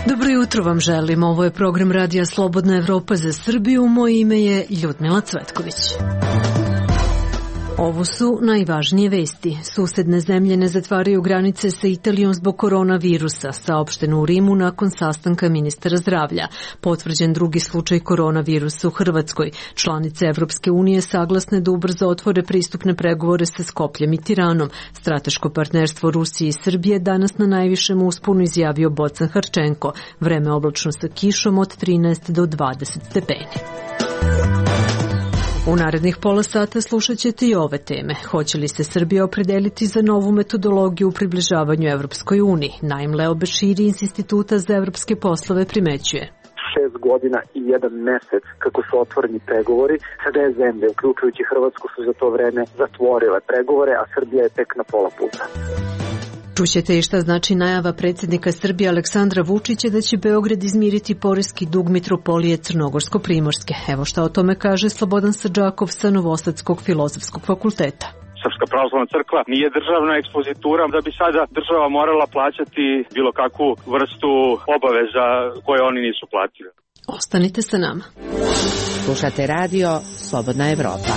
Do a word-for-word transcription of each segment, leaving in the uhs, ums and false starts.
Dobro jutro vam želim. Ovo je program Radija Slobodna Evropa za Srbiju. Moje ime je Ljudmila Cvetković. Ovo su najvažnije vesti. Susedne zemlje ne zatvaraju granice sa Italijom zbog koronavirusa, saopšteno u Rimu nakon sastanka ministara zdravlja. Potvrđen drugi slučaj koronavirusa u Hrvatskoj. Članice Evropske unije saglasne da ubrzo otvore pristupne pregovore sa Skopljem i Tiranom. Strateško partnerstvo Rusije i Srbije danas na najvišem usponu izjavio Bocan Harčenko. Vreme oblačno sa kišom od trinaest do dvadeset stepeni. U narednih pola sata slušat ćete i ove teme. Hoće li se Srbija opredeliti za novu metodologiju u približavanju Evropskoj uniji? Naim Leo Beširi iz Instituta za evropske poslove primećuje. Šest godina i jedan mesec kako su otvoreni pregovori, sve zemlje, uključujući Hrvatsku, su za to vreme zatvorile pregovore, a Srbija je tek na pola puta. Čućete i šta znači najava predsjednika Srbije Aleksandra Vučića da će Beograd izmiriti poreski dug mitropolije Crnogorsko-Primorske. Evo šta o tome kaže Slobodan Sadžakov sa Novosadskog filozofskog fakulteta. Srpska pravoslavna crkva nije državna ekspozitura da bi sada država morala plaćati bilo kakvu vrstu obaveza koje oni nisu platili. Ostanite sa nama. Slušate radio Slobodna Evropa.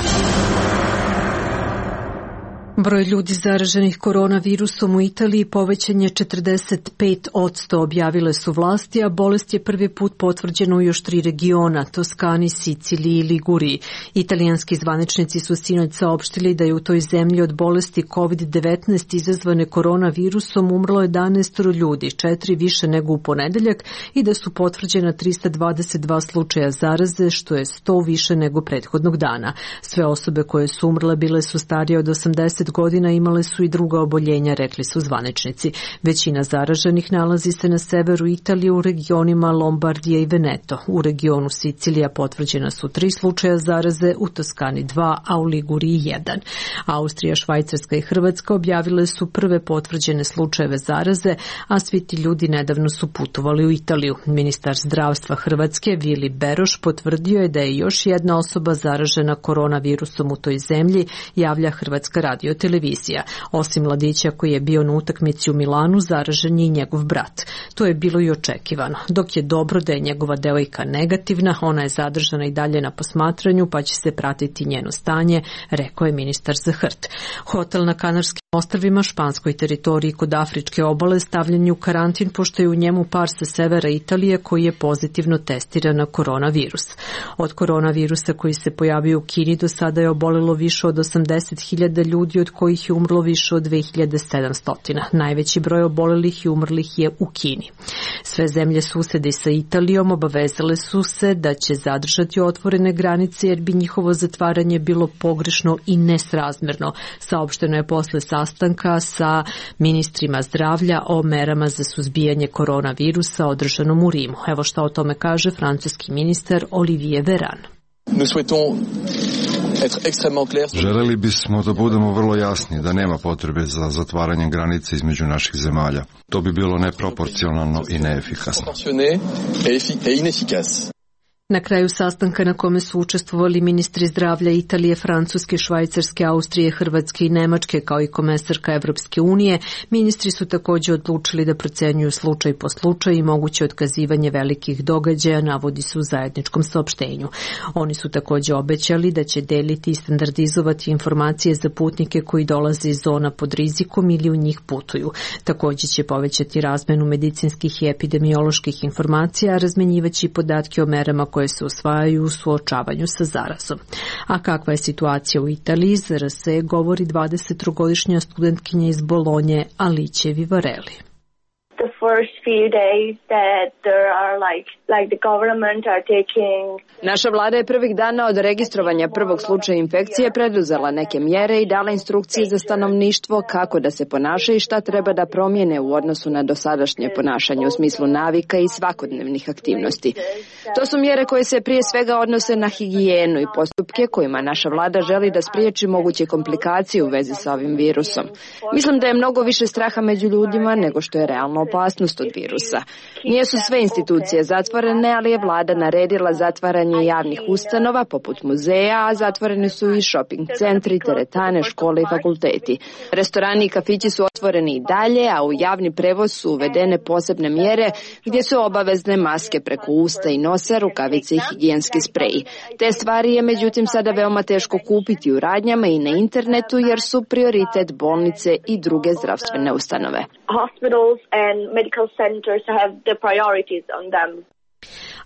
Broj ljudi zaraženih koronavirusom u Italiji povećan je četrdeset pet posto, objavile su vlasti, a bolest je prvi put potvrđena u još tri regiona, Toskani, Siciliji i Liguriji. Italijanski zvaničnici su sinoć saopštili da je u toj zemlji od bolesti kovid devetnaest izazvane koronavirusom umrlo jedanaest ljudi, četiri više nego u ponedeljak, i da su potvrđena trista dvadeset dva slučaja zaraze, što je sto više nego prethodnog dana. Sve osobe koje su umrle bile su starije od osamdeset godina, imale su i druga oboljenja, rekli su zvaničnici. Većina zaraženih nalazi se na severu Italije u regionima Lombardija i Veneto. U regionu Sicilija potvrđena su tri slučaja zaraze, u Toskani dva, a u Liguriji jedan. Austrija, Švajcarska i Hrvatska objavile su prve potvrđene slučajeve zaraze, a svi ti ljudi nedavno su putovali u Italiju. Ministar zdravstva Hrvatske Vili Beroš potvrdio je da je još jedna osoba zaražena koronavirusom u toj zemlji, javlja Hrvatska radio televizija. Osim mladića koji je bio na utakmici u Milanu, zaražen je i njegov brat. To je bilo i očekivano. Dok je dobro da je njegova devojka negativna, ona je zadržana i dalje na posmatranju, pa će se pratiti njeno stanje, rekao je ministar za H R T. Hotel na Kanarskim ostrvima, španskoj teritoriji kod Afričke obale, stavljen je u karantin pošto je u njemu par sa severa Italije koji je pozitivno testiran na koronavirus. Od koronavirusa koji se pojavio u Kini do sada je obolelo više od osamdeset hiljada ljudi, od kojih je umrlo više od dve hiljade sedamsto. Najveći broj obolelih i umrlih je u Kini. Sve zemlje susede sa Italijom obavezale su se da će zadržati otvorene granice jer bi njihovo zatvaranje bilo pogrešno i nesrazmerno. Saopšteno je posle sastanka sa ministrima zdravlja o merama za suzbijanje koronavirusa održanom u Rimu. Evo šta o tome kaže francuski ministar Olivier Véran. Želeli bismo da budemo vrlo jasni da nema potrebe za zatvaranjem granice između naših zemalja. To bi bilo neproporcionalno i neefikasno. Na kraju sastanka na kome su učestvovali ministri zdravlja Italije, Francuske, Švajcarske, Austrije, Hrvatske i Nemačke, kao i komesarka Evropske unije, ministri su također odlučili da procenjuju slučaj po slučaju i moguće otkazivanje velikih događaja, navodi se u zajedničkom saopštenju. Oni su također obećali da će deliti i standardizovati informacije za putnike koji dolaze iz zona pod rizikom ili u njih putuju. Također će povećati razmenu medicinskih i epidemioloških informacija, a razmenjivaći podatke o merama koje se usvajaju u suočavanju sa zarazom. A kakva je situacija u Italiji, za R S E govori dvadesettrogodišnja studentkinja iz Bolonje Alice Vivarelli. The first few days that there are like like the government are taking. Naša vlada je prvih dana od registrovanja prvog slučaja infekcije preduzela neke mjere i dala instrukcije za stanovništvo kako da se ponaša i šta treba da promijene u odnosu na dosadašnje ponašanje u smislu navika i svakodnevnih aktivnosti. To su mjere koje se prije svega odnose na higijenu i postupke kojima naša vlada želi da spriječi moguće komplikacije u vezi sa ovim virusom. Mislim da je mnogo više straha među ljudima nego što je realno opasnost od virusa. Nijesu sve institucije zatvorene, ali je vlada naredila zatvaranje javnih ustanova poput muzeja, a zatvoreni su i shopping centri, teretane, škole i fakulteti. Restorani i kafići su otvoreni i dalje, a u javni prevoz su uvedene posebne mjere gdje su obavezne maske preko usta i nosa, rukavice i higijenski spreji. Te stvari je međutim sada veoma teško kupiti u radnjama i na internetu jer su prioritet bolnice i druge zdravstvene ustanove. Hospitals and medical centers have the priorities on them.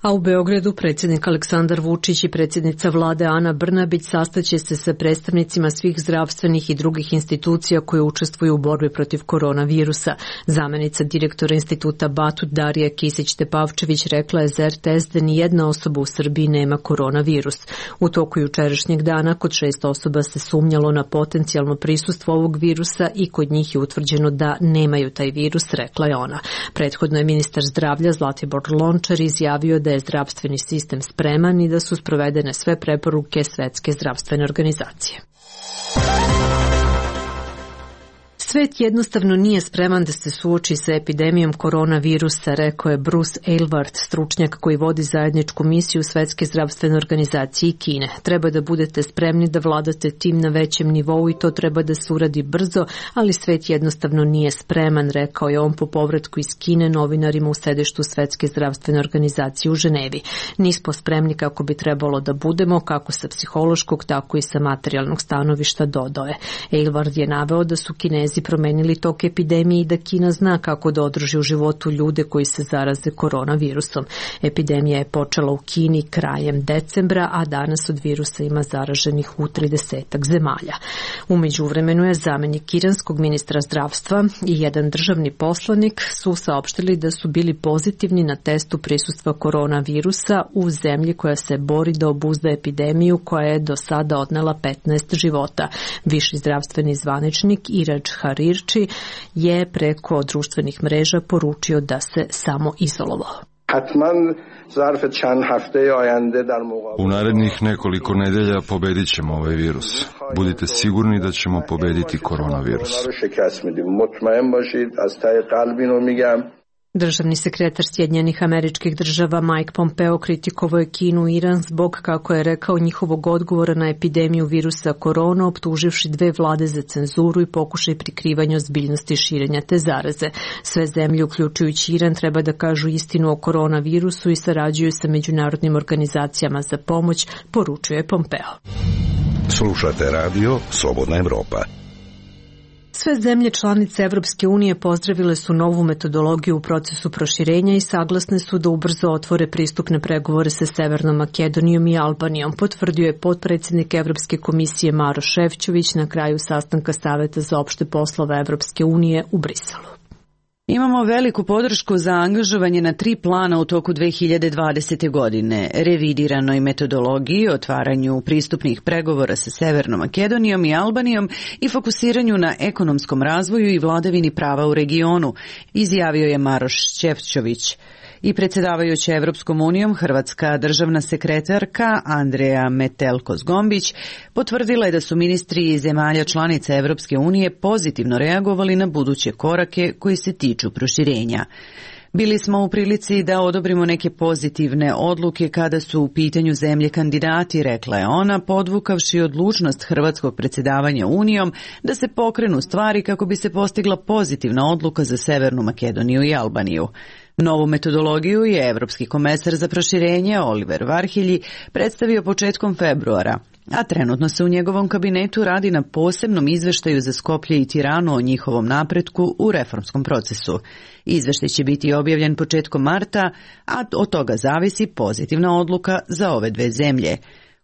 A u Beogradu predsjednik Aleksandar Vučić i predsjednica vlade Ana Brnabić sastaće se sa predstavnicima svih zdravstvenih i drugih institucija koje učestvuju u borbi protiv koronavirusa. Zamenica direktora instituta Batut Darija Kisić-Tepavčević rekla je za er te es da nijedna osoba u Srbiji nema koronavirus. U toku jučerašnjeg dana kod šest osoba se sumnjalo na potencijalno prisustvo ovog virusa i kod njih je utvrđeno da nemaju taj virus, rekla je ona. Prethodno je ministar zdravlja Zlatibor Lončar izjavio da je zdravstveni sistem spreman i da su sprovedene sve preporuke Svetske zdravstvene organizacije. Svet jednostavno nije spreman da se suoči sa epidemijom koronavirusa, rekao je Bruce Aylward, stručnjak koji vodi zajedničku misiju Svetske zdravstvene organizacije i Kine. Treba da budete spremni da vladate tim na većem nivou i to treba da se uradi brzo, ali svet jednostavno nije spreman, rekao je on po povratku iz Kine novinarima u sedištu Svetske zdravstvene organizacije u Ženevi. Nismo spremni kako bi trebalo da budemo, kako sa psihološkog, tako i sa materijalnog stanovišta, dodao je. Aylward je naveo da su Kinezi promenili tok epidemije i da Kina zna kako da održi u životu ljude koji se zaraze koronavirusom. Epidemija je počela u Kini krajem decembra, a danas od virusa ima zaraženih u tridesetak zemalja. U međuvremenu je zamenik iranskog ministra zdravstva i jedan državni poslanik su saopštili da su bili pozitivni na testu prisustva koronavirusa u zemlji koja se bori da obuzda epidemiju koja je do sada odnela petnaest života. Viši zdravstveni zvaničnik Iraj Harirči je preko društvenih mreža poručio da se samo izolovao. U narednih nekoliko nedelja pobedit ćemo ovaj virus. Budite sigurni da ćemo pobediti koronavirus. Državni sekretar Sjedinjenih Američkih Država Mike Pompeo kritikovao je Kinu i Iran zbog, kako je rekao, njihovog odgovora na epidemiju virusa korona, optuživši dve vlade za cenzuru i pokušaj prikrivanja ozbiljnosti širenja te zaraze. Sve zemlje, uključujući Iran, treba da kažu istinu o koronavirusu i sarađuju sa međunarodnim organizacijama za pomoć, poručuje Pompeo. Slušate radio Slobodna Evropa. Sve zemlje članice Evropske unije pozdravile su novu metodologiju u procesu proširenja i saglasne su da ubrzo otvore pristupne pregovore sa Severnom Makedonijom i Albanijom, potvrdio je potpredsjednik Evropske komisije Maroš Šefčović na kraju sastanka Saveta za opšte poslove Evropske unije u Briselu. Imamo veliku podršku za angažovanje na tri plana u toku dve hiljade dvadesete. godine, revidiranoj metodologiji, otvaranju pristupnih pregovora sa Severnom Makedonijom i Albanijom i fokusiranju na ekonomskom razvoju i vladavini prava u regionu, izjavio je Maroš Šefčović. I predsjedavajuća Evropskom unijom, hrvatska državna sekretarka Andreja Metelko-Zgombić potvrdila je da su ministri zemalja članica Evropske unije pozitivno reagovali na buduće korake koji se tiču proširenja. Bili smo u prilici da odobrimo neke pozitivne odluke kada su u pitanju zemlje kandidati, rekla je ona, podvukavši odlučnost hrvatskog predsjedavanja Unijom da se pokrenu stvari kako bi se postigla pozitivna odluka za Severnu Makedoniju i Albaniju. Novu metodologiju je Evropski komesar za proširenje Oliver Varhelji predstavio početkom februara, a trenutno se u njegovom kabinetu radi na posebnom izveštaju za Skoplje i Tiranu o njihovom napretku u reformskom procesu. Izveštaj će biti objavljen početkom marta, a od toga zavisi pozitivna odluka za ove dve zemlje.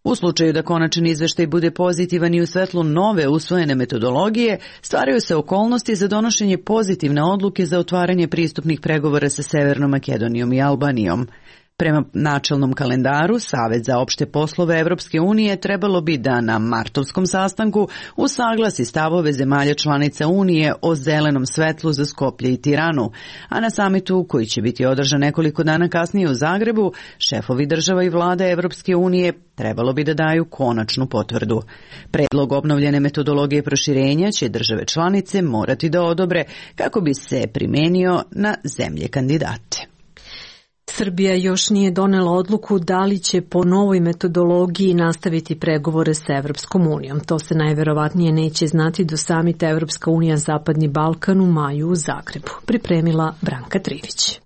U slučaju da konačan izveštaj bude pozitivan i u svetlu nove usvojene metodologije, stvaraju se okolnosti za donošenje pozitivne odluke za otvaranje pristupnih pregovora sa Severnom Makedonijom i Albanijom. Prema načelnom kalendaru, Savet za opšte poslove Evropske unije trebalo bi da na martovskom sastanku usaglasi stavove zemalja članica Unije o zelenom svetlu za Skoplje i Tiranu, a na samitu, koji će biti održan nekoliko dana kasnije u Zagrebu, šefovi država i vlade Evropske unije trebalo bi da daju konačnu potvrdu. Predlog obnovljene metodologije proširenja će države članice morati da odobre kako bi se primenio na zemlje kandidate. Srbija još nije donela odluku da li će po novoj metodologiji nastaviti pregovore sa Evropskom unijom. To se najverovatnije neće znati do samita Evropska unija Zapadni Balkan u maju u Zagrebu. Pripremila Branka Trivić.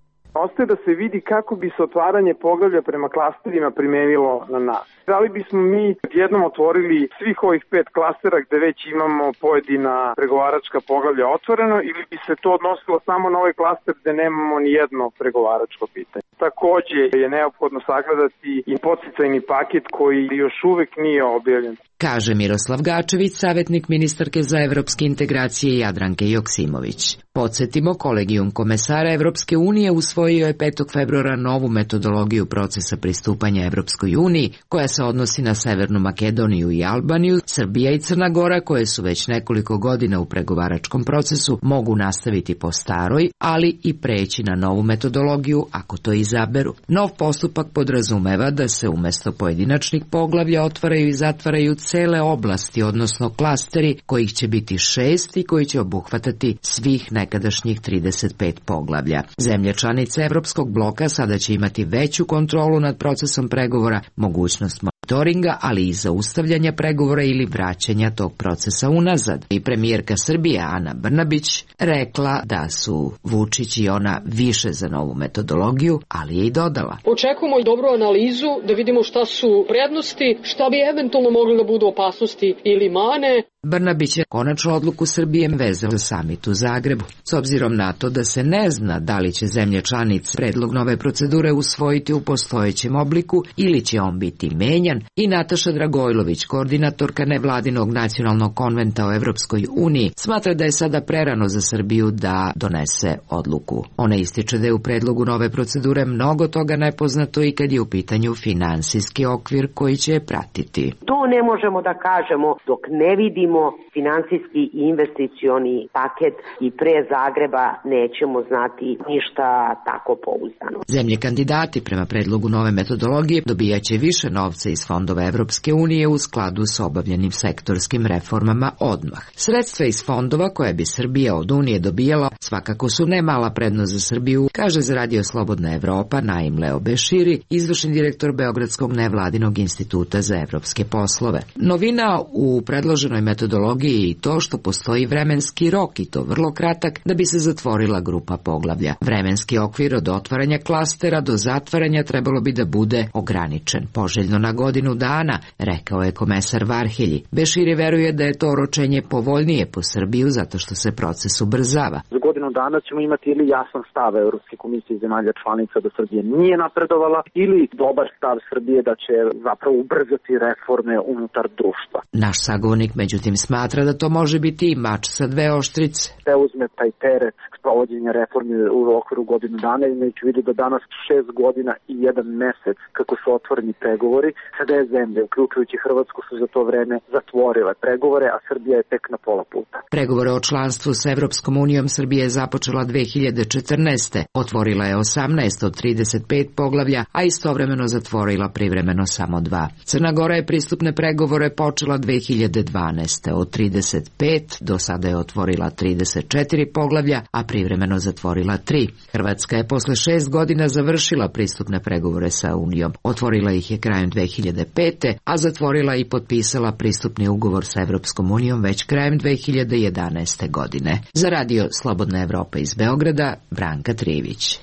Ostaje da se vidi kako bi se otvaranje poglavlja prema klasterima primenilo na nas. Da li bismo mi jednom otvorili svih ovih pet klastera gde već imamo pojedina pregovaračka poglavlja otvoreno ili bi se to odnosilo samo na ovaj klaster gde nemamo ni jedno pregovaračko pitanje. Takođe je neophodno sagledati i podsticajni paket koji još uvek nije objavljen. Kaže Miroslav Gačević, savjetnik ministarke za evropske integracije Jadranke Joksimović. Podsjetimo, Kolegijum komesara Evropske unije usvojio je petog februara novu metodologiju procesa pristupanja Evropskoj uniji, koja se odnosi na Severnu Makedoniju i Albaniju. Srbija i Crna Gora, koje su već nekoliko godina u pregovaračkom procesu, mogu nastaviti po staroj, ali i preći na novu metodologiju ako to izaberu. Nov postupak podrazumeva da se umesto pojedinačnih poglavlja otvaraju i zatvaraju cele oblasti, odnosno klasteri, kojih će biti šest i koji će obuhvatati svih nekadašnjih trideset pet poglavlja. Zemlje članice Evropskog bloka sada će imati veću kontrolu nad procesom pregovora, mogućnost monitoringa, ali i zaustavljanja pregovora ili vraćanja tog procesa unazad. I premijerka Srbije Ana Brnabić rekla da su Vučić i ona više za novu metodologiju, ali je i dodala: očekujemo dobru analizu da vidimo šta su prednosti, šta bi eventualno mogli da budu opasnosti ili mane. Brnabić je konačnu odluku Srbije vezao za samit u Zagrebu. S obzirom na to da se ne zna da li će zemlje članice predlog nove procedure usvojiti u postojećem obliku ili će on biti menjan, i Nataša Dragojlović, koordinatorka nevladinog nacionalnog konventa o Evropskoj uniji, smatra da je sada prerano za Srbiju da donese odluku. Ona ističe da je u predlogu nove procedure mnogo toga nepoznato i kad je u pitanju finansijski okvir koji će je pratiti. To ne možemo da kažemo dok ne vidimo finansijski i investicioni paket i pre Zagreba nećemo znati ništa tako pouzdano. Zemlje kandidati prema predlogu nove metodologije dobijaće više novca iz fondova Evropske unije u skladu s obavljenim sektorskim reformama odmah. Sredstva iz fondova koje bi Srbija od Unije dobijala svakako su ne mala prednost za Srbiju, kaže za Radio Slobodna Evropa Naim Leo Beširi, izvršni direktor Beogradskog nevladinog instituta za evropske poslove. Novina u predloženoj metodologiji je i to što postoji vremenski rok, i to vrlo kratak, da bi se zatvorila grupa poglavlja. Vremenski okvir od otvaranja klastera do zatvaranja trebalo bi da bude ograničen, poželjno na godinu dana, rekao je komesar Varhelji. Beširi veruje da je to oročenje povoljnije po Srbiju zato što se proces ubrzava. Za godinu dana ćemo imati ili jasan stav Evropske komisije i zemalja članica da Srbija nije napredovala, ili dobar stav Srbije da će zapravo ubrzati reforme unutar društva. Naš sagovornik međutim smatra da to može biti i mač sa dve oštrice. Te uzme taj teret sprovođenja reformi u okviru godinu dana, imajući u vidu da danas šest godina i jedan mesec kako su otvoreni pregovori, sa dve zemlje, uključujući Hrvatsku, su za to vreme zatvorile pregovore, a Srbija je tek na pola puta. Pregovore o članstvu sa Evropskom unijom Srbija je započela dve hiljade četrnaeste. Otvorila je osamnaest od trideset pet poglavlja, a istovremeno zatvorila privremeno samo dva. Crna Gora je pristupne pregovore počela dve hiljade dvanaeste. Od trideset pet do sada je otvorila trideset četiri poglavlja, a privremeno zatvorila tri. Hrvatska je posle šest godina završila pristupne pregovore sa Unijom. Otvorila ih je krajem dve hiljade pete. a zatvorila i potpisala pristupni ugovor sa Evropskom unijom već krajem dve hiljade jedanaeste. godine. Za Radio Slobodna Evropa iz Beograda, Branka Trivić.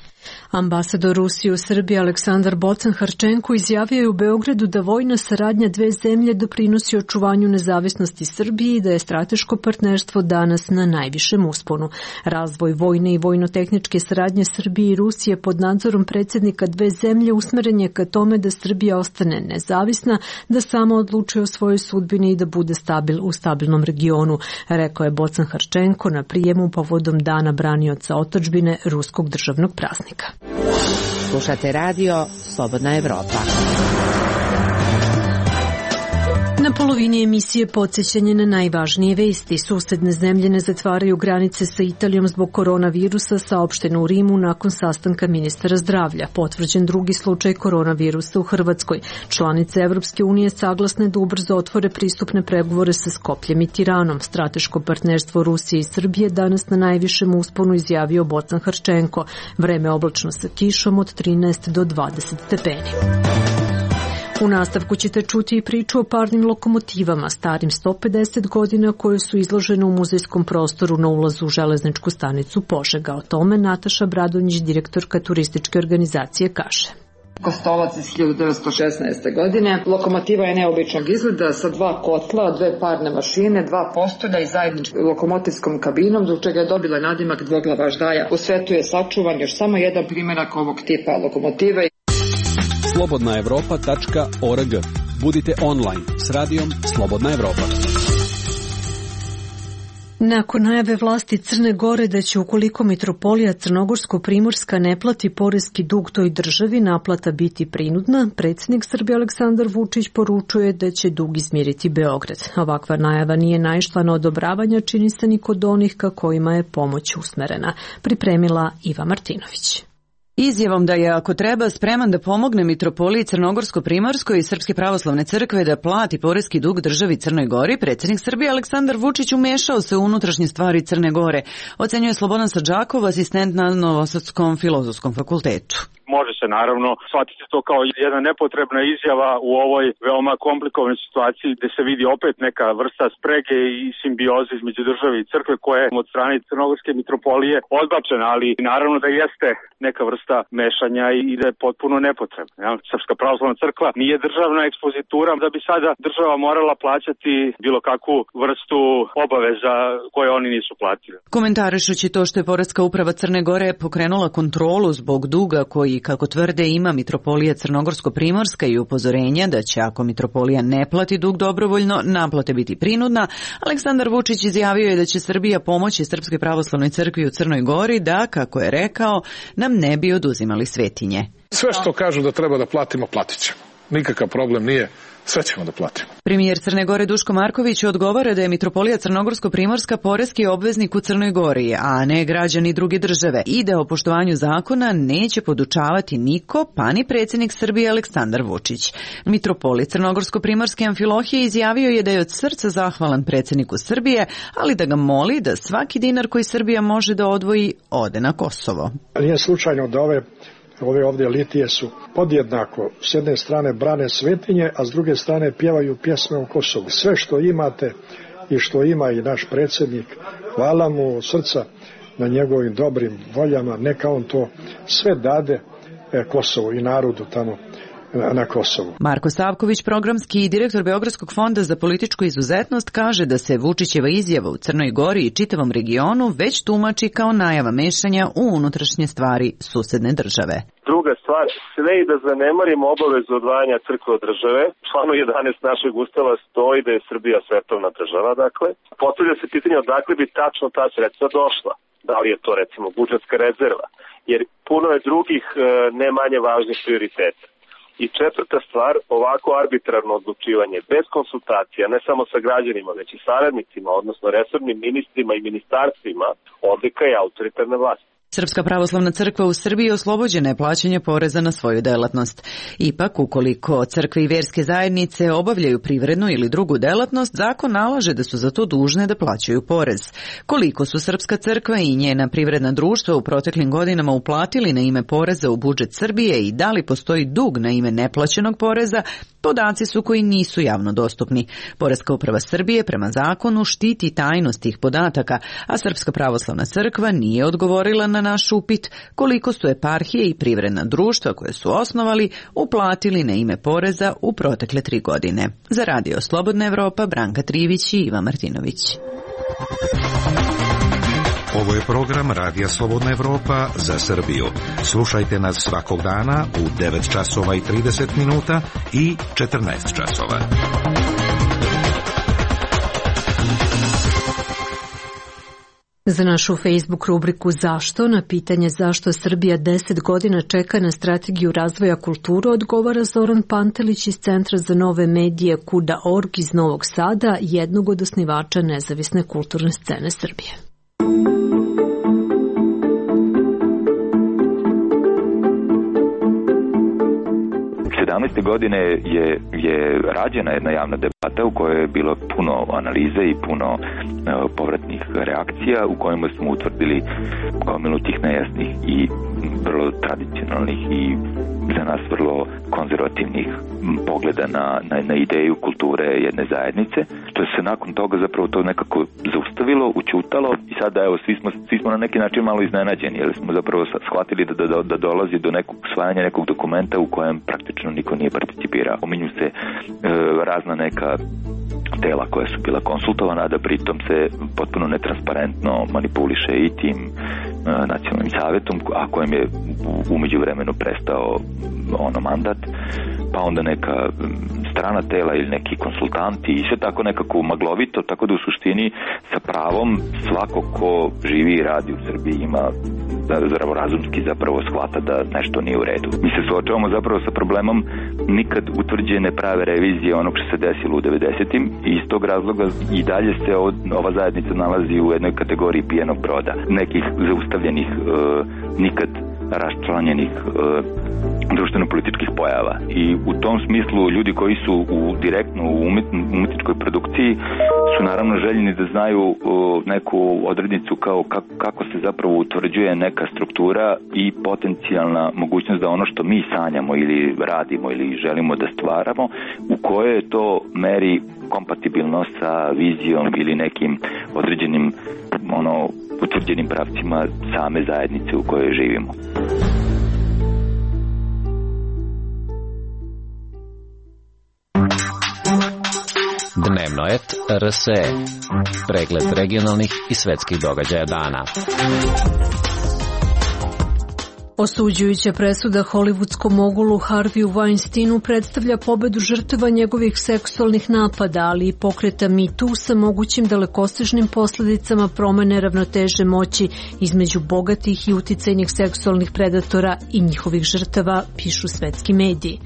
Ambasador Rusije u Srbiji Aleksandar Bocan-Harčenko izjavio je u Beogradu da vojna saradnja dve zemlje doprinosi očuvanju nezavisnosti Srbije i da je strateško partnerstvo danas na najvišem usponu. Razvoj vojne i vojno-tehničke saradnje Srbije i Rusije pod nadzorom predsjednika dve zemlje usmeren je ka tome da Srbija ostane nezavisna, da sama odlučuje o svojoj sudbini i da bude stabil u stabilnom regionu, rekao je Bocan-Harčenko na prijemu povodom Dana branioca otadžbine ruskog državnog praznika. Slušate radio Slobodna Evropa. Na polovini emisije podsjećanje na najvažnije vesti. Susedne zemlje ne zatvaraju granice sa Italijom zbog koronavirusa, saopšteno u Rimu nakon sastanka ministara zdravlja. Potvrđen drugi slučaj koronavirusa u Hrvatskoj. Članice Evropske unije saglasne da ubrzo otvore pristupne pregovore sa Skopljem i Tiranom. Strateško partnerstvo Rusije i Srbije danas na najvišem usponu izjavio Bocan Hrčenko. Vreme oblačno sa kišom od trinaest do dvadeset stepeni. U nastavku ćete čuti i priču o parnim lokomotivama starim sto pedeset godina koje su izložene u muzejskom prostoru na ulazu u železničku stanicu Požega. O tome Nataša Bradonjić, direktorka turističke organizacije, kaže. Kostolac iz hiljadu devetsto šesnaeste. godine. Lokomotiva je neobičnog izgleda sa dva kotla, dve parne mašine, dva postolja i zajedničkom lokomotivskom kabinom, zbog čega je dobila nadimak dvoglava ždaja. U svetu je sačuvan još samo jedan primjerak ovog tipa lokomotive. slobodna evropa tačka org. Budite online s radijom Slobodna Evropa. Nakon najave vlasti Crne Gore da će ukoliko mitropolija Crnogorsko-Primorska ne plati poreski dug toj državi, naplata biti prinudna, predsjednik Srbije Aleksandar Vučić poručuje da će dug izmiriti Beograd. Ovakva najava nije naišla na odobravanja, čini se ni kod onih ka kojima je pomoć usmerena. Pripremila Iva Martinović. Izjavom da je, ako treba, spreman da pomogne mitropoliji Crnogorsko-Primorskoj i Srpske pravoslavne crkve da plati poreski dug državi Crnoj Gori, predsjednik Srbije Aleksandar Vučić umešao se u unutrašnje stvari Crne Gore, ocenjuje Slobodan Sadžakov, asistent na Novosadskom filozofskom fakultetu. Može se naravno shvatiti to kao jedna nepotrebna izjava u ovoj veoma komplikovanoj situaciji gde se vidi opet neka vrsta sprege i simbioze između države i crkve koja je od strane Crnogorske mitropolije odbačena, ali naravno da jeste neka vrsta mešanja i da je potpuno nepotrebna. Ja? Srpska pravoslavna crkva nije državna ekspozitura da bi sada država morala plaćati bilo kakvu vrstu obaveza koje oni nisu platili. Komentarišući to što je Poreska uprava Crne Gore pokrenula kontrolu zbog duga koji, kako tvrde, ima mitropolija Crnogorsko-Primorska i upozorenja da će, ako mitropolija ne plati dug dobrovoljno, naplate biti prinudna, Aleksandar Vučić izjavio je da će Srbija pomoći Srpskoj pravoslavnoj crkvi u Crnoj Gori da, kako je rekao, nam ne bi oduzimali svetinje. Sve što kažu da treba da platimo, platit ćemo. Nikakav problem nije. Sve ćemo da platimo. Premijer Crne Gore Duško Marković odgovara da je mitropolija Crnogorsko-Primorska poreski obveznik u Crnoj Gori, a ne građani druge države, i da o poštovanju zakona neće podučavati niko, pa ni predsjednik Srbije Aleksandar Vučić. Mitropolit Crnogorsko-Primorske Amfilohije izjavio je da je od srca zahvalan predsjedniku Srbije, ali da ga moli da svaki dinar koji Srbija može da odvoji ode na Kosovo. Nije slučajno da ove Ove ovdje litije su podjednako, s jedne strane brane svetinje, a s druge strane pjevaju pjesme o Kosovu. Sve što imate i što ima i naš predsjednik, hvala mu od srca na njegovim dobrim voljama, neka on to sve dade Kosovu i narodu tamo na Kosovu. Marko Savković, programski direktor Beogradskog fonda za političku izuzetnost, kaže da se Vučićeva izjava u Crnoj Gori i čitavom regionu već tumači kao najava mešanja u unutrašnje stvari susedne države. Druga stvar, sve i da zanemarimo obavezu odvajanja crkve od države, članu jedanaest našeg ustava stoji da je Srbija svetovna država, dakle. Postavlja se pitanje odakle bi tačno ta sredstva došla. Da li je to recimo budžetska rezerva, jer puno je drugih ne manje važnih prioriteta. I četvrta stvar, ovako arbitrarno odlučivanje bez konsultacija, ne samo sa građanima, već i saradnicima, odnosno resornim ministrima i ministarstvima, odlika je autoritarne vlasti. Srpska pravoslavna crkva u Srbiji oslobođena je plaćanja poreza na svoju delatnost. Ipak, ukoliko crkve i vjerske zajednice obavljaju privrednu ili drugu delatnost, zakon nalaže da su za to dužne da plaćaju porez. Koliko su Srpska crkva i njena privredna društva u proteklim godinama uplatili na ime poreza u budžet Srbije i da li postoji dug na ime neplaćenog poreza, podaci su koji nisu javno dostupni. Poreska uprava Srbije prema zakonu štiti tajnost tih podataka, a Srpska pravoslavna crkva nije odgovorila na naš upit koliko su eparhije i privredna društva koje su osnovali uplatili na ime poreza u protekle tri godine. Za Radio Slobodna Evropa, Branka Trivić i Iva Martinović. Ovo je program Radija Slobodna Evropa za Srbiju. Slušajte nas svakog dana u devet časova i trideset minuta i četrnaest časova. Za našu Facebook rubriku Zašto na pitanje zašto Srbija deset godina čeka na strategiju razvoja kulture odgovara Zoran Pantelić iz Centra za nove medije Kuda tačka org iz Novog Sada, jednog od osnivača nezavisne kulturne scene Srbije. sedamnaeste godine je, je rađena jedna javna debata u kojoj je bilo puno analize i puno uh, povratnih reakcija u kojima smo utvrdili gomilu tih nejasnih i vrlo tradicionalnih i za nas vrlo konzervativnih pogleda na, na, na ideju kulture jedne zajednice, što se nakon toga zapravo to nekako zaustavilo, učutalo i sada evo svi smo, svi smo na neki način malo iznenađeni, jer smo zapravo shvatili da, da, da dolazi do nekog usvajanja nekog dokumenta u kojem praktično niko nije participirao. Pominju se e, razna neka tela koja su bila konsultovana, a da pritom se potpuno netransparentno manipuliše i tim e, nacionalnim savjetom, a kojem je umeđu vremenu prestao ono mandat, pa onda neka strana tela ili neki konsultanti i sve tako nekako maglovito, tako da u suštini sa pravom svako ko živi i radi u Srbiji ima zdravorazumski zapravo shvata da nešto nije u redu. Mi se suočavamo zapravo sa problemom nikad utvrđene prave revizije onog što se desilo u devedesetim i iz tog razloga i dalje se ova zajednica nalazi u jednoj kategoriji pijenog broda, nekih zaustavljenih, e, nikad raščlanjenih e, društveno-političkih pojava. I u tom smislu ljudi koji su u, direktno u umetničkoj produkciji su naravno željeni da znaju o, neku odrednicu kao kako, kako se zapravo utvrđuje neka struktura i potencijalna mogućnost da ono što mi sanjamo ili radimo ili želimo da stvaramo, u kojoj je to meri kompatibilno sa vizijom ili nekim određenim ono, utvrđenim pravcima same zajednice u kojoj živimo. Dnevnoet R S E, pregled regionalnih i svetskih događaja dana. Osuđujuća presuda hollywoodskom mogulu Harveyu Weinsteinu predstavlja pobedu žrtava njegovih seksualnih napada, ali i pokreta Me Too sa mogućim dalekosežnim posledicama promene ravnoteže moći između bogatih i uticajnih seksualnih predatora i njihovih žrtava, pišu svetski mediji.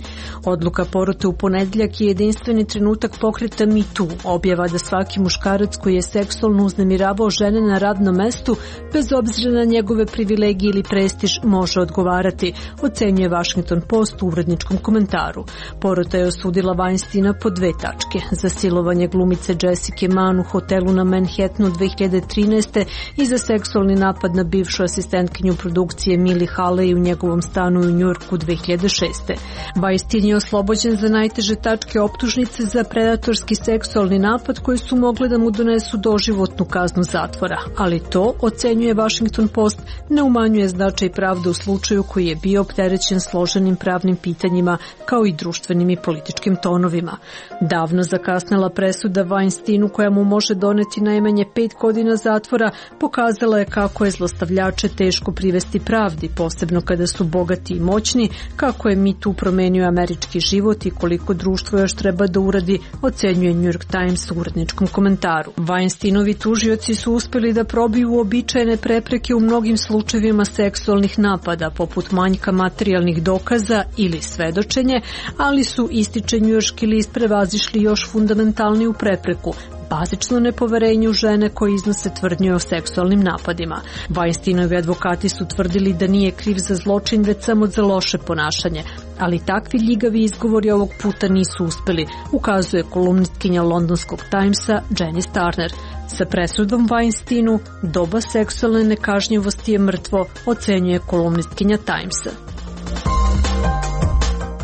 Odluka porote u ponedeljak je jedinstveni trenutak pokreta Me Too, objava da svaki muškarac koji je seksualno uznemiravao žene na radnom mestu, bez obzira na njegove privilegije ili prestiž, može odgovarati, ocenjuje Washington Post u uredničkom komentaru. Porota je osudila Weinsteina po dve tačke. Za silovanje glumice Jessica Mann u hotelu na Manhattanu dve hiljade trinaeste i za seksualni napad na bivšu asistentkinju produkcije Millie Haley u njegovom stanu u Njujorku dve hiljade šeste. Weinstein je oslobođen za najteže tačke optužnice za predatorski seksualni napad koji su mogle da mu donesu doživotnu kaznu zatvora, ali to, ocenjuje Washington Post, ne umanjuje značaj pravde u slučaju koji je bio opterećen složenim pravnim pitanjima kao i društvenim i političkim tonovima. Davno zakasnela presuda Weinsteinu koja mu može doneti najmanje pet godina zatvora pokazala je kako je zlostavljače teško privesti pravdi, posebno kada su bogati i moćni, kako je Me Too promenio američki život i koliko društvo još treba da uradi, ocenjuje New York Times u uredničkom komentaru. Weinsteinovi tužioci su uspeli da probiju uobičajene prepreke u mnogim slučajevima seksualnih napada, poput manjka materijalnih dokaza ili svedočenje, ali su, ističe njujorški list, prevazišli još fundamentalniju prepreku, bazično nepoverenje u žene koje iznose tvrdnje o seksualnim napadima. Weinsteinovi advokati su tvrdili da nije kriv za zločin, već samo za loše ponašanje, ali takvi ljigavi izgovori ovog puta nisu uspeli, ukazuje kolumnistkinja londonskog Timesa Janice Turner. Sa presudom Weinsteinu doba seksualne nekažnjivosti je mrtvo, ocenjuje kolumnistkinja Timesa.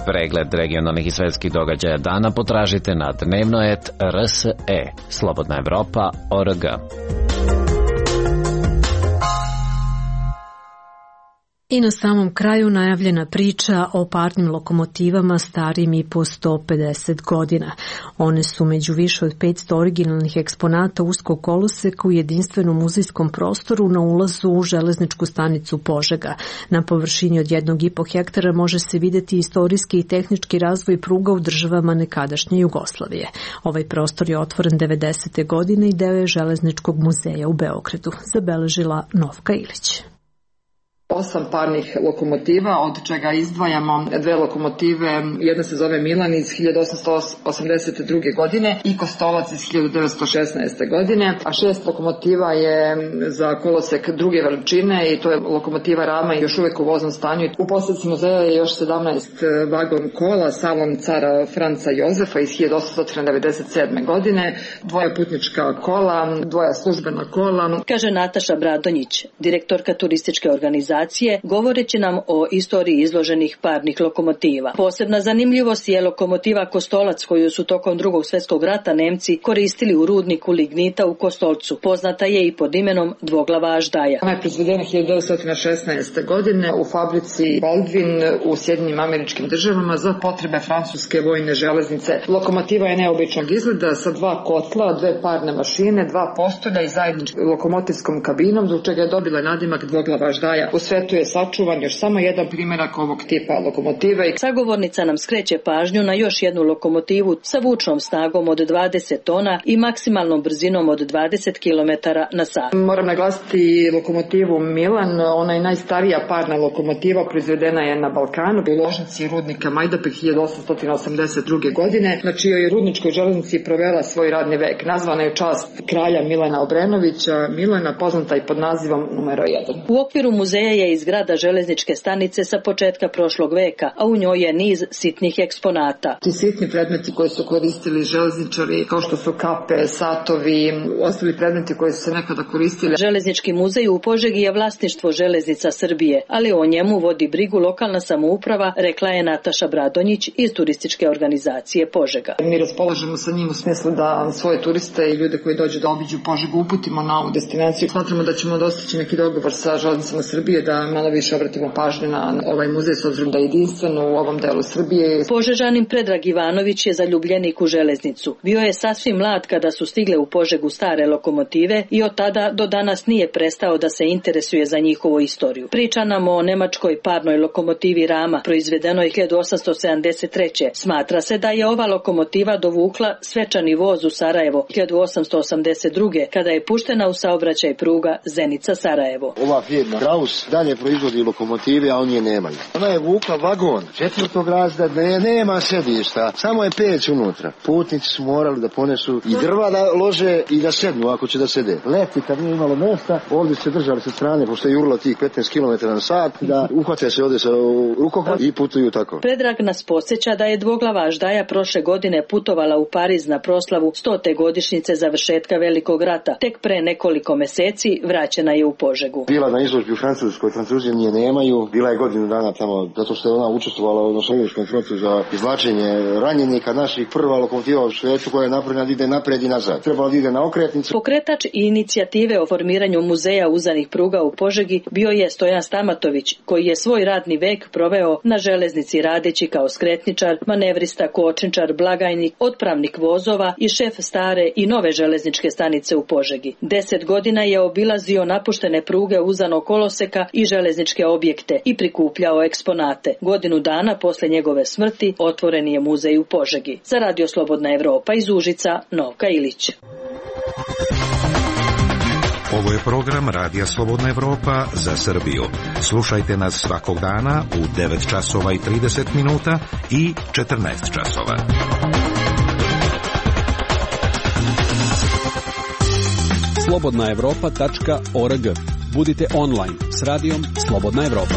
Pregled regionalnih i svetskih događaja dana potražite na dnevnoet R S E, Slobodna Evropa, O R G. I na samom kraju najavljena priča o parnim lokomotivama starim i po sto pedeset godina. One su među više od petsto originalnih eksponata uskog koloseka u jedinstvenom muzejskom prostoru na ulazu u železničku stanicu Požega. Na površini od jednog i po hektara može se videti istorijski i tehnički razvoj pruga u državama nekadašnje Jugoslavije. Ovaj prostor je otvoren devedesete godine i deo je Železničkog muzeja u Beogradu, zabeležila Novka Ilić. Osam parnih lokomotiva, od čega izdvajamo dve lokomotive, jedna se zove Milan iz hiljadu osamsto osamdeset druge. godine i Kostolac iz hiljadu devetsto šesnaeste. godine, a šest lokomotiva je za kolosek druge veličine i to je lokomotiva Rama još uvek u voznom stanju. U posedci muzeja je još sedamnaest vagon kola, salon cara Franca Jozefa iz hiljadu osamsto devedeset sedme. godine, dvoja putnička kola, dvoja službena kola. Kaže Nataša Bradonjić, direktorka turističke organizacije, govoreći nam o istoriji izloženih parnih lokomotiva. Posebna zanimljivost je lokomotiva Kostolac koju su tokom Drugog svjetskog rata Nemci koristili u rudniku lignita u Kostolcu. Poznata je i pod imenom dvoglava aždaja. Ona je proizvedena hiljadu devetsto šesnaeste. godine u fabrici Baldwin u Sjedinjenim Američkim Državama za potrebe francuske vojne železnice. Lokomotiva je neobičnog izgleda sa dva kotla, dve parne mašine, dva postolja i zajedničkom lokomotivskom kabinom, zbog čega je dobila nadimak dvoglava aždaja. U svetu je sačuvan još samo jedan primjerak ovog tipa lokomotive. Sagovornica nam skreće pažnju na još jednu lokomotivu sa vučnom snagom od dvadeset tona i maksimalnom brzinom od dvadeset kilometara na sat. Moram naglasiti lokomotivu Milan, ona je najstarija parna lokomotiva, proizvedena je na Balkanu u ložnici rudnika Majdanpek hiljadu osamsto osamdeset druge. godine, na čijoj rudničkoj železnici provela svoj radni vek. Nazvana je u čast kralja Milana Obrenovića, Milana poznata i pod nazivom numero jedan. U okviru muzeja je iz grada železničke stanice sa početka prošlog veka, a u njoj je niz sitnih eksponata. Ti sitni predmeti koji su koristili železničari, kao što su kape, satovi, ostali predmeti koji su se nekada koristili. Železnički muzej u Požegi je vlasništvo Železnica Srbije, ali o njemu vodi brigu lokalna samouprava, rekla je Nataša Bradonjić iz turističke organizacije Požega. Mi raspolažemo sa njim u smislu da svoje turiste i ljude koji dođu da obiđu Požegu uputimo na ovu destinaciju. Smatramo da ćemo dostići neki dogovor sa Železnicama Srbije da malo više obratimo pažnju na ovaj muzej s obzirom da je jedinstveno u ovom delu Srbije. Požežanin Predrag Ivanović je zaljubljenik u železnicu. Bio je sasvim mlad kada su stigle u Požegu stare lokomotive i od tada do danas nije prestao da se interesuje za njihovu istoriju. Priča nam o nemačkoj parnoj lokomotivi Rama, proizvedenoj hiljadu osamsto sedamdeset treće. Smatra se da je ova lokomotiva dovukla svečani voz u Sarajevo hiljadu osamsto osamdeset druge. kada je puštena u saobraćaj pruga Zenica-Sarajevo. Ova firma Kraus dalje proizvodi lokomotive, a oni je nemaju. Ona je vukla vagon četvrtog razreda, ne, nema sedišta, samo je peć unutra. Putnici su morali da ponesu i drva da lože i da sednu ako će da sede. Leti kad nije imalo mesta, ovdje se držali sa strane, pošto je jurilo tih petnaest kilometara na sat, da uhvate se ovdje sa rukohvat i putuju tako. Predrag nas podsjeća da je dvoglava aždaja prošle godine putovala u Pariz na proslavu stote godišnjice završetka Velikog rata. Tek pre nekoliko meseci vraćena je u Požegu. Bila na izložbi u Francuskoj, Francuzi nije nemaju, bila je godinu dana tamo, zato što je ona učestvovala na Solunskom frontu za izvlačenje ranjenika naših, prva lokomotiva u svijetu koja je napravljena da ide napred i nazad. Trebala da ide na okretnicu. Pokretač i inicijative o formiranju muzeja uzanih pruga u Požegi bio je Stojan Stamatović, koji je svoj radni vek proveo na železnici radeći kao skretničar, manevrista, kočničar, blagajnik, otpravnik vozova i šef stare i nove železničke stanice u Požegi. Deset godina je obilazio napuštene pruge uzanog koloseka i železničke objekte i prikupljao eksponate. Godinu dana posle njegove smrti otvoren je muzej u Požegi. Za Radio Slobodna Evropa iz Užica, Novka Ilić. Ovo je program Radija Slobodna Evropa za Srbiju. Slušajte nas svakog dana u devet časova i trideset minuta i četrnaest časova. slobodna evropa tačka org. Budite online s radijom Slobodna Evropa.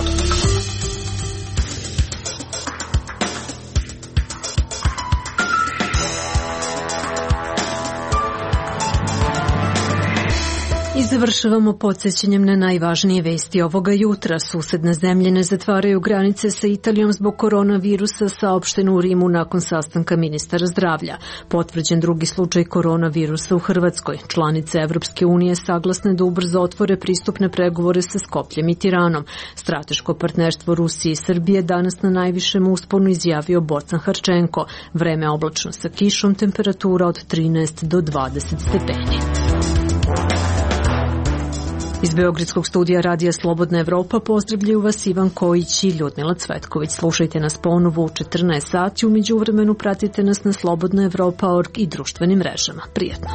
Iz završavamo podsjećanjem na najvažnije vesti ovoga jutra. Susedne zemlje ne zatvaraju granice sa Italijom zbog koronavirusa, saopšteno u Rimu nakon sastanka ministara zdravlja. Potvrđen drugi slučaj koronavirusa u Hrvatskoj. Članice Evropske unije saglasne da ubrzo otvore pristupne pregovore sa Skopljem i Tiranom. Strateško partnerstvo Rusije i Srbije danas na najvišem usponu izjavio Bocan Harčenko. Vreme oblačno sa kišom, temperatura od trinaest do dvadeset stepeni. Iz Beogradskog studija Radija Slobodna Evropa pozdravljaju vas Ivan Kojić i Ljudmila Cvetković. Slušajte nas ponovo u četrnaest sati, u međuvremenu pratite nas na slobodna evropa tačka org i društvenim mrežama. Prijetno!